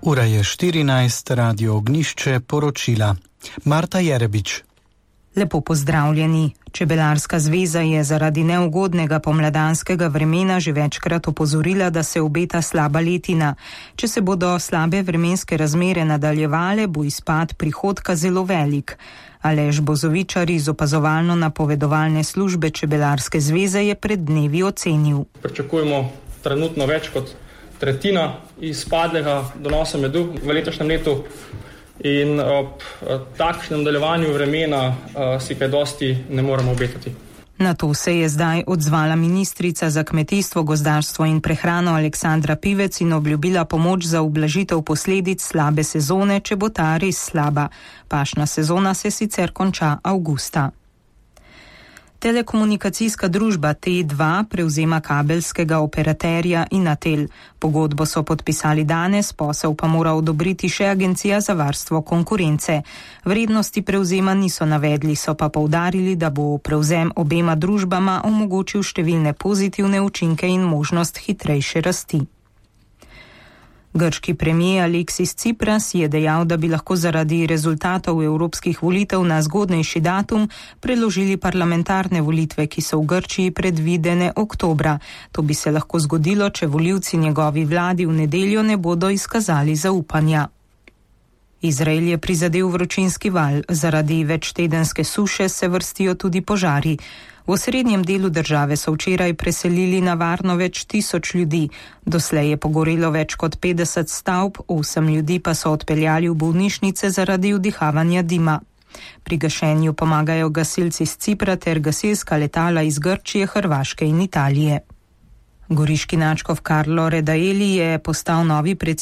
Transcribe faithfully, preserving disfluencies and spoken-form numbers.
Ura je štirinajst, Radio Ognjišče, poročila Marta Jerebič. Lepo pozdravljeni. Čebelarska zveza je zaradi neugodnega pomladanskega vremena že večkrat opozorila, da se obeta slaba letina. Če se bodo slabe vremenske razmere nadaljevale, bo izpad prihodka zelo velik. Aleš Bozovičar iz opazovalno-napovedovalne službe Čebelarske zveze je pred dnevi ocenil. Pričakujemo trenutno več kot tretjina izpadlega donosa medu v letošnjem letu in ob takšnem nadaljevanju vremena si kaj dosti ne moremo obetati. Na to se je zdaj odzvala ministrica za kmetijstvo, gozdarstvo in prehrano Aleksandra Pivec in obljubila pomoč za ublažitev posledic slabe sezone, če bo ta res slaba. Pašna sezona se sicer konča avgusta. Telekomunikacijska družba T dva prevzema kabelskega operaterja Inatel. Pogodbo so podpisali danes, posel pa mora odobriti še Agencija za varstvo konkurence. Vrednosti prevzema niso navedli, so pa poudarili, da bo prevzem obema družbama omogočil številne pozitivne učinke in možnost hitrejše rasti. Grški premijer Aleksis Tsipras je dejal, da bi lahko zaradi rezultatov evropskih volitev na zgodnejši datum preložili parlamentarne volitve, ki so v Grčiji predvidene oktobra. To bi se lahko zgodilo, če volivci njegovi vladi v nedeljo ne bodo izkazali zaupanja. Izrael je prizadel vročinski val. Zaradi večtedenske suše se vrstijo tudi požari. V osrednjem delu države so včeraj preselili na varno več tisoč ljudi. Doslej je pogorelo več kot petdeset stavb, osem ljudi pa so odpeljali v bolnišnice zaradi vdihavanja dima. Pri gašenju pomagajo gasilci z Cipra ter gasilska letala iz Grčije, Hrvaške in Italije. Goriški nadškof Karlo Redaeli je postal novi predsednik